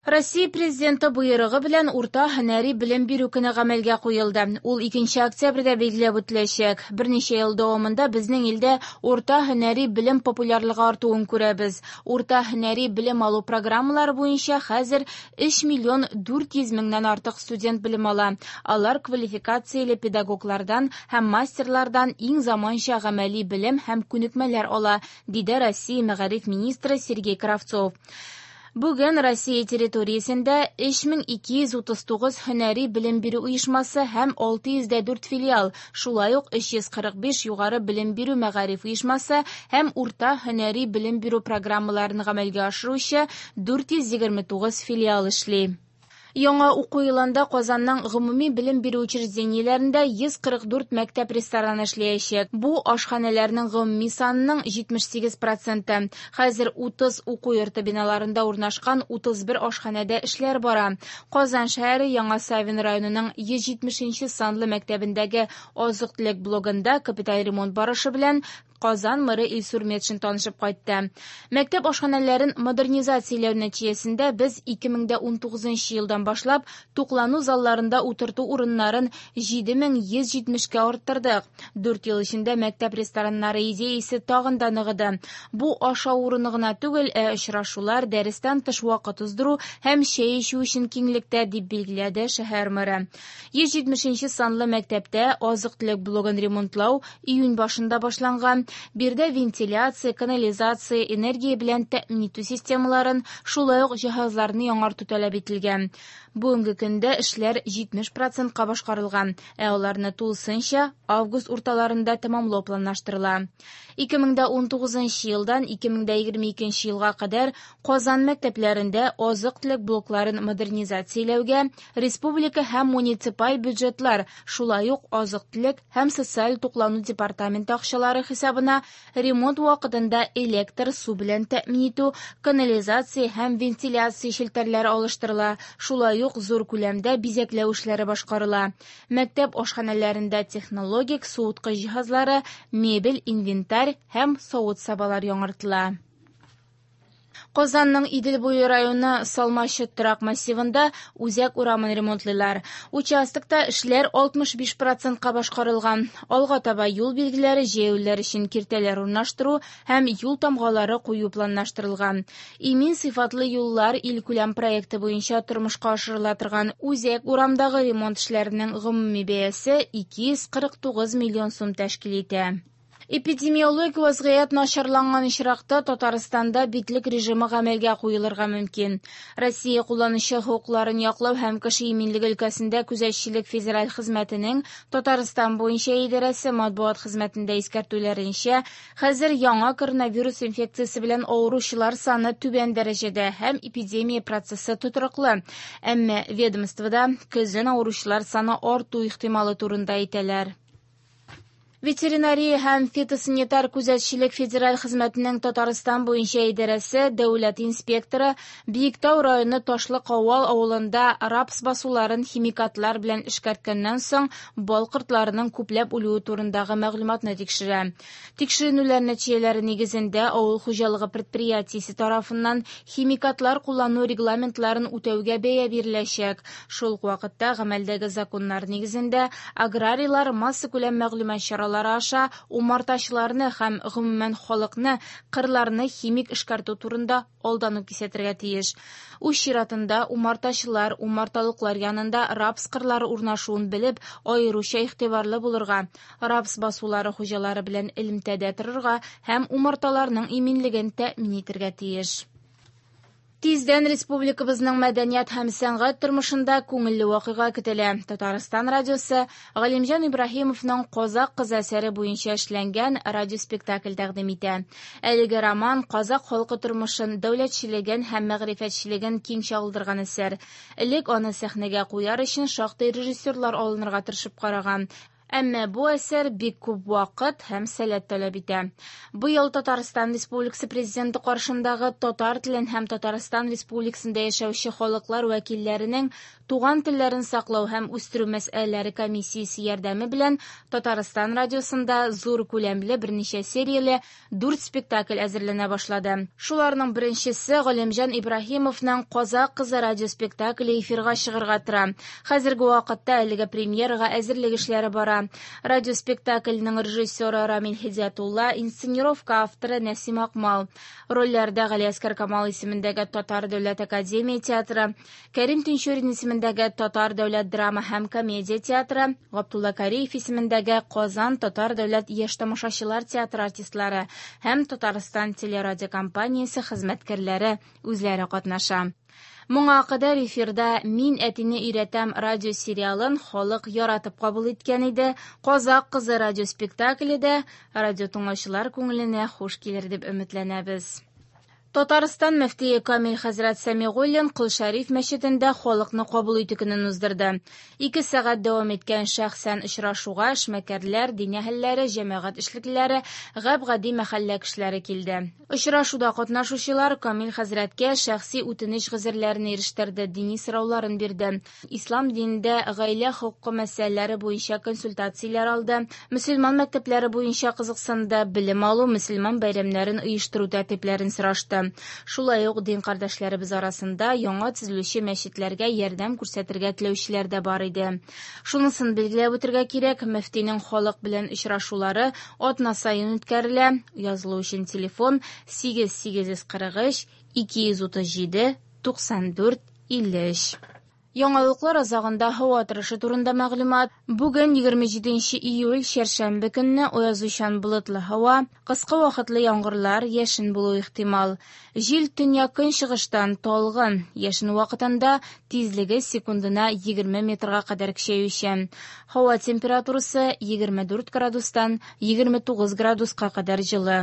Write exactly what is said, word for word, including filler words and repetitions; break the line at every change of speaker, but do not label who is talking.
Россия Президенты боерыгы белән урта һөнәри белем бирү көне гамәлгә куелды. Ул икенче октябрьдә билгеләп үтеләчәк. Берничә ел дәвамында безнең илдә урта һөнәри белем популярлыгы артуын күрәбез. Урта һөнәри белем алу программалары буенча хәзер өч миллион дүрт йөз меңнән артык студент белем ала. Алар квалификацияле педагоглардан һәм мастерлардан иң заманча гамәли белем һәм күнекмәләр ала, диде Россия мәгариф министры Сергей Кравцов. Бүген Россия территориясендә өч мең ике йөз утыз тугыз һөнәри белем бирү оешмасы һәм алты йөз дә дүрт филиал, шулай ук өч йөз кырык биш югары белем бирү мәгариф оешмасы һәм урта һөнәри белем бирү программаларын гамәлгә ашыручы дүрт йөз егерме тугыз филиал эшли. Яңа уку елында Казанның гомуми белем бирү учреждениеләрендә йөз кырык дүрт мәктәп рестораны эшләячәк. Бу ашханәләрнең гомуми санының җитмеш сигез проценты. Хәзер утыз уку йорты биналарында урнашкан утыз бер ашханәдә эшләр бара. Казан шәһәре Яңа Савин районының йөз җитмешенче санлы мәктәбендәге азык-төлек блогында капиталь ремонт барышы белән Казан мэры Илсур Метшин танышып кайтты. Мәктәп ашханәләрен модернизацияләү нәтиҗәсендә без ике мең дә унтугызынчы елдан башлап туклану залларында утырту урыннарын җиде мең йөз җитмешкә арттырдык. Дүрт ел эчендә мәктәп рестораннары идеясе тагын да ныгыды. Бу ашау урыны гына түгел, ә очрашулар, дәрестән тыш вакыт уздыру һәм чәй эчү өчен киңлектә, дип билгеләде шәһәр мэры. Йөз җитмешенче санлы мәктәптә азык-төлек блогын ремонтлау июнь башында башланган. Биредә вентиляция, канализация, энергия белән тәэмин итү системаларын, шулай ук җиһазларны яңарту таләп ителгән. Бүгенге көндә эшләр җитмеш процентка башкарылган, ә аларны тулысынча август урталарында тәмамлау планлаштырыла. Ике мең дә унтугызынчы елдан ике мең дә егерме икенче елга кадәр Казан мәктәпләрендә азык-төлек блокларын модернизацияләүгә республика һәм муниципаль бюджетлар, шулай ук азык-төлек һәм социаль туклану департаменты акчалары хисабына ремонт вакытында электр, су белән тәэмин итү, канализация һәм вентиляция челтәрләре алыштырыла, шулай ук зур күләмдә бизәкләү эшләре башкарыла. Мәктәп ашханәләрендә технологик суыткыч җиһазлары, мебель, инвентарь һәм савыт-сабалар яңартыла. Казанның Идел буе районы Салмачы торак массивында үзәк урамын ремонтлыйлар. Участокта эшләр алтмыш биш процентка башкарылган. Алга таба юл билгеләре, җәяүлеләр өчен киртәләр урнаштыру һәм юл тамгалары кую планлаштырылган. Имин сыйфатлы юллар илкүләм проекты буенча тормышка ашырыла торган үзәк урамдагы ремонт эшләренең гомуми бәясе ике йөз кырык тугыз миллион сум тәшкил итә. Эпидемиологик вазгыять начарланган очракта Татарстанда битлек режимы гамәлгә куелырга мөмкин. Россия кулланучы хокукларын яклау һәм кеше иминлеге өлкәсендә күзәтчелек федераль хезмәтенең Татарстан буенча идарәсе матбугат хезмәтендә искәртүләренчә, хәзер яңа коронавирус инфекциясе белән авыручылар саны түбән дәрәҗәдә һәм эпидемия процессы тотрыклы. Әмма ведомствода көзен авыручылар саны арту ихтималы турында әйтәләр. Ветеринария һәм фитосанитар күзәтчелек федераль хезмәтенең Татарстан буенча идарәсе дәүләт инспекторы Биектау районы Ташлы Кавал авылында рапс басуларын химикатлар белән эшкәрткәннән соң бал кортларының күпләп үлүе турындагы мәгълүматны тикшерә. Тикшеренүләр нәтиҗәләре нигезендә авыл хуҗалыгы предприятиесе тарафыннан химикатлар куллану регламентларын үтәүгә бәя биреләчәк. Шул ук вакытта гамәлдәге законнар нигезендә аграрийлар массакүләм мәгълүмат чаралары аша умартачыларны һәм гомумән халыкны кырларны химик эшкәртү турында алдан ук кисәтергә тиеш. Үз чиратында умартачылар умарталыклар янында рапс кырлары урнашуын белеп, аеруча игътибарлы булырга, рапс басулары хуҗалары белән элемтәдә торырга һәм умарталарның иминлеген тәэмин итәргә тиеш. Тиздән республикабызның мәдәният һәм сәнгать тормышында күңелле вакыйга көтелә. Татарстан радиосы Галимҗан Ибраһимовның Казак кызы әсәре буенча эшләнгән радиоспектакль тәкъдим итә. Әлеге роман казак халкы тормышын, дәүләтчелеген һәм мәгърифәтчелеген киң чагылдырган әсәр. Элек аны сәхнәгә куяр өчен шактый режиссерлар алынырга тырышып караган. Әмма бу әсәр бик күп вакыт һәм сәләт таләп итә. Быел Татарстан Республикасы Президенты каршындагы татар телен һәм Татарстан Республикасында яшәүче халыклар вәкилләренең туган телләрен саклау һәм үстерү мәсьәләләре комиссиясе ярдәме белән Татарстан радиосында зур күләмле берничә серияле дүрт спектакль әзерләнә башлады. Шуларның беренчесе Галимҗан Ибраһимовның «Казак кызы» радиоспектакле эфирга чыгарга тора. Хәзерге вакытта әлеге премьерага әзерлек эшләре бара. Радиоспектакльнең режиссеры Рамил Һидиятулла, инсценировка авторы Нәсим Акмал. Рольләрдә Галиәсгар Камал исемендәге Татар дәүләт академия театры, Кәрим Тинчурин исемендәге Татар дәүләт драма һәм комедия театры, Габдулла Кариев исемендәге Казан Татар дәүләт яшь тамашачылар театры артистлары һәм Татарстан телерадиокомпаниясе хезмәткәрләре үзләре катнаша. Моңа кадәр эфирда «Мин әтине өйрәтәм» радиосериалын халык яратып кабул иткән иде. «Казак кызы» радиоспектакле дә радио тыңлаучылар күңеленә хуш килер дип өметләнәбез. Татарстан мөфтие Камил хәзрәт Сәмигуллин Кол Шәриф мәчетендә халыкны кабул итү көнен уздырды. Ике сәгать дәвам иткән шәхсән очрашуга эшмәкәрләр, дин әһелләре, җәмәгать эшлеклеләре, гап-гади мәхәллә кешеләре килде. Очрашуда катнашучылар Камил хәзрәткә шәхси үтенеч гозерләрен ирештерде, дини сорауларын бирде. Ислам динендә гаилә хокукы мәсьәләләре буенча консультацияләр алды, мөселман мәктәпләре буенча кызыксынды, белем алу, мөселман бәйрәмнәрен оештыру тәртипләрен сорашты. Шулай ук дин кардәшләребез арасында яңа төзелүче мәчетләргә ярдәм күрсәтергә теләүчеләр дә бар иде. Шунысын билгеләп үтергә кирәк, мөфтинең халык белән очрашулары атна саен үткәрелә. Язылу өчен телефон сигез сигез йөз кырык өч ике йөз утыз җиде туксан дүрт илле өч. Яңалыклар азагында һава торышы турында мәгълүмат. Бүген егерме җиденче июль чәршәмбе көнне аязучан болытлы һава, кыска вакытлы яңгырлар, яшен булу ихтимал. Җил төньяк-көнчыгыштан талгын, яшен вакытында тизлеге секундына егерме метрга кадәр көчәючән. Һава температурасы егерме дүрт градустан егерме тугыз градуска кадәр җылы.